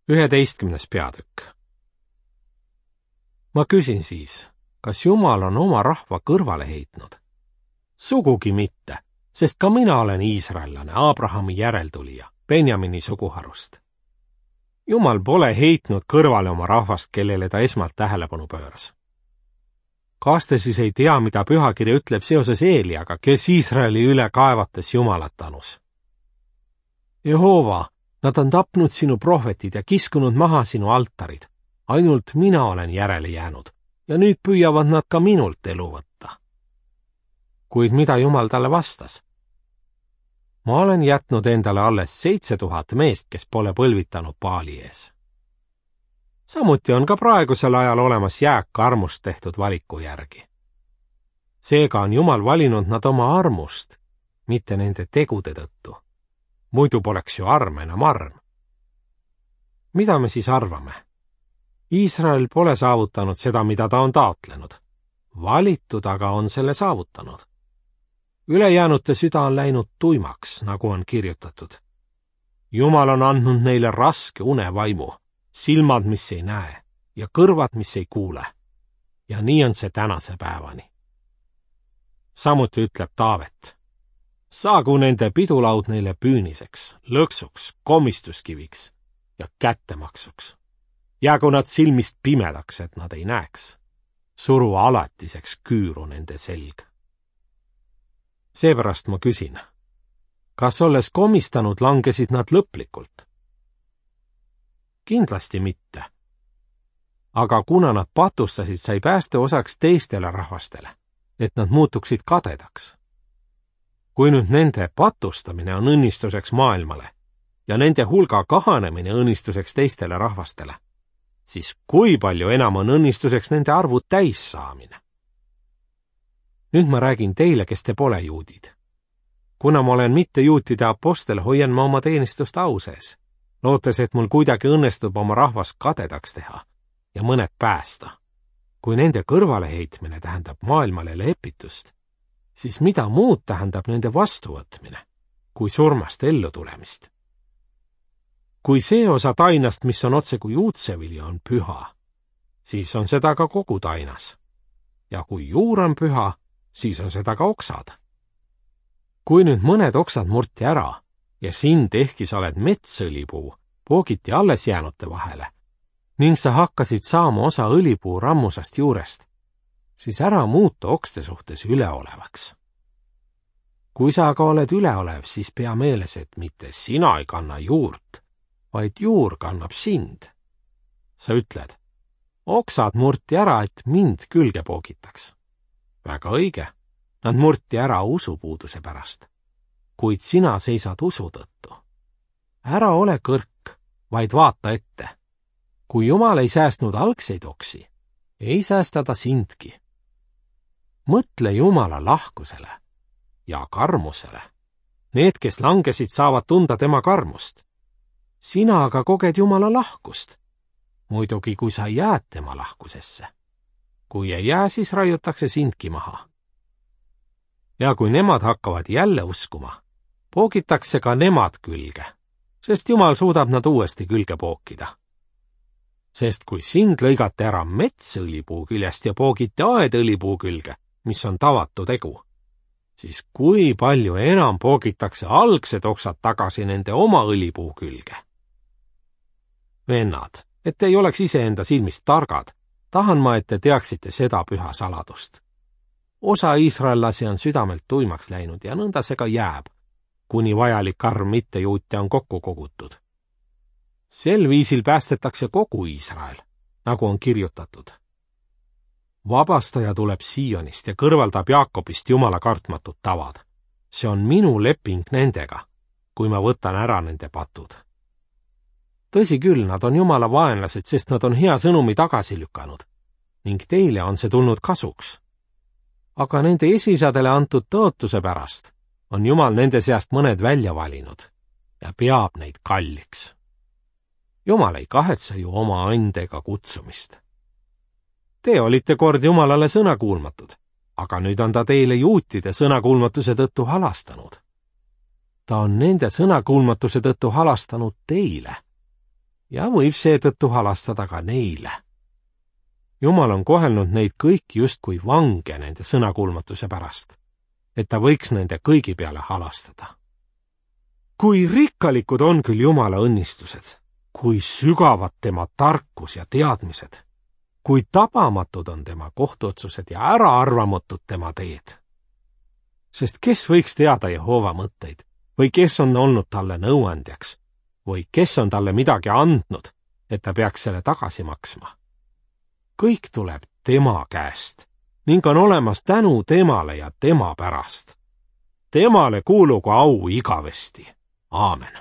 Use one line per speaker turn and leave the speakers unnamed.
11. peatükk. Ma küsin siis, kas Jumal on oma rahva kõrvale heitnud? Sugugi mitte, sest ka mina olen iisraellane, Abrahami järeltulija, Benjamini suguharust. Jumal pole heitnud kõrvale oma rahvast, kellele ta esmalt tähelepanu pööras. Kas te siis ei tea, mida pühakiri ütleb seoses Eeliaga, kes Iisraeli üle kaevates Jumalat tanus? Jehova, nad on tapnud sinu prohvetid ja kiskunud maha sinu altarid. Ainult mina olen järele jäänud ja nüüd püüavad nad ka minult elu võtta. Kuid mida Jumal talle vastas? Ma olen jätnud endale alles 7000 meest, kes pole põlvitanud Baali ees. Samuti on ka praegusel ajal olemas jääk armust tehtud valiku järgi. Seega on Jumal valinud nad oma armust, mitte nende tegude tõttu. Muidu poleks ju arm enam arm. Mida me siis arvame? Iisrael pole saavutanud seda, mida ta on taotlenud. Valitud aga on selle saavutanud. Ülejäänute süda on läinud tuimaks, nagu on kirjutatud. Jumal on andnud neile raske unevaimu, silmad, mis ei näe, ja kõrvad, mis ei kuule. Ja nii on see tänase päevani. Samuti ütleb Taavet: saagu nende pidulaud neile püüniseks, lõksuks, komistuskiviks ja kättemaksuks. Jäägu nad silmist pimedaks, et nad ei näeks. Suru alatiseks küüru nende selg. Seepärast ma küsin, kas olles komistanud langesid nad lõplikult? Kindlasti mitte. Aga kuna nad patustasid, sai pääste osaks teistele rahvastele, et nad muutuksid kadedaks. Kui nüüd nende patustamine on õnnistuseks maailmale ja nende hulga kahanemine õnnistuseks teistele rahvastele, siis kui palju enam on õnnistuseks nende arvu täis saamine? Nüüd ma räägin teile, kes te pole juudid. Kuna ma olen mitte juutide apostel, hoian ma oma teenistust au sees, lootes, et mul kuidagi õnnestub oma rahvast kadedaks teha ja mõned päästa. Kui nende kõrvaleheitmine tähendab maailmale lepitust, siis mida muud tähendab nende vastuvõtmine, kui surmast ellu tulemist? Kui see osa tainast, mis on otse kui juutsevilja, on püha, siis on seda ka kogu tainas. Ja kui juur on püha, siis on seda ka oksad. Kui nüüd mõned oksad murti ära ja sind, ehkki sa oled metsõlipuu, poogiti alles jäänute vahele ning sa hakkasid saama osa õlipuu rammusast juurest, siis ära muutu okste suhtes üleolevaks. Kui sa aga oled üleolev, siis pea meeles, et mitte sina ei kanna juurt, vaid juur kannab sind. Sa ütled: oksad murti ära, et mind külge poogitaks. Väga õige, nad murti ära usupuuduse pärast, kuid sina seisad usu tõttu. Ära ole kõrk, vaid vaata ette. Kui Jumal ei säästnud algseid oksi, ei säästa ta sindki. Mõtle Jumala lahkusele ja karmusele. Need, kes langesid, saavad tunda tema karmust. Sina aga koged Jumala lahkust. Muidugi, kui sa jääd tema lahkusesse. Kui ei jää, siis raiutakse sindki maha. Ja kui nemad hakkavad jälle uskuma, poogitakse ka nemad külge, sest Jumal suudab nad uuesti külge pookida. Sest kui sind lõigate ära metsõlipuu küljest ja poogite aedõlipuu külge, mis on tavatu tegu, siis kui palju enam poogitakse algsed oksad tagasi nende oma õlipuu külge. Vennad, et ei oleks iseenda silmist targad, tahan ma, et te teaksite seda püha saladust. Osa iisraellasi on südamelt tuimaks läinud ja nõnda see ka jääb, kuni vajalik arv mittejuute on kokku kogutud. Sel viisil päästetakse kogu Iisrael, nagu on kirjutatud. Vabastaja tuleb Sionist ja kõrvaldab Jaakobist Jumala kartmatud tavad. See on minu leping nendega, kui ma võtan ära nende patud. Tõsi küll, nad on Jumala vaenlased, sest nad on hea sõnumi tagasi lükanud ning teile on see tulnud kasuks. Aga nende esisadele antud tõotuse pärast on Jumal nende seast mõned välja valinud ja peab neid kalliks. Jumal ei kahetse ju oma andega kutsumist. Te olite kord Jumalale sõnakuulmatud, aga nüüd on ta teile juutide sõnakuulmatuse tõttu halastanud. Ta on nende sõnakuulmatuse tõttu halastanud teile ja võib seetõttu halastada ka neile. Jumal on kohelnud neid kõiki justkui vange nende sõnakuulmatuse pärast, et ta võiks nende kõigi peale halastada. Kui rikkalikud on küll Jumala õnnistused, kui sügavad tema tarkus ja teadmised, kui tabamatud on tema kohtuotsused ja äraarvamatud tema teed. Sest kes võiks teada Jehova mõtteid või kes on olnud talle nõuandjaks või kes on talle midagi andnud, et ta peaks selle tagasi maksma? Kõik tuleb tema käest ning on olemas tänu temale ja tema pärast. Temale kuulugu au igavesti. Aamen.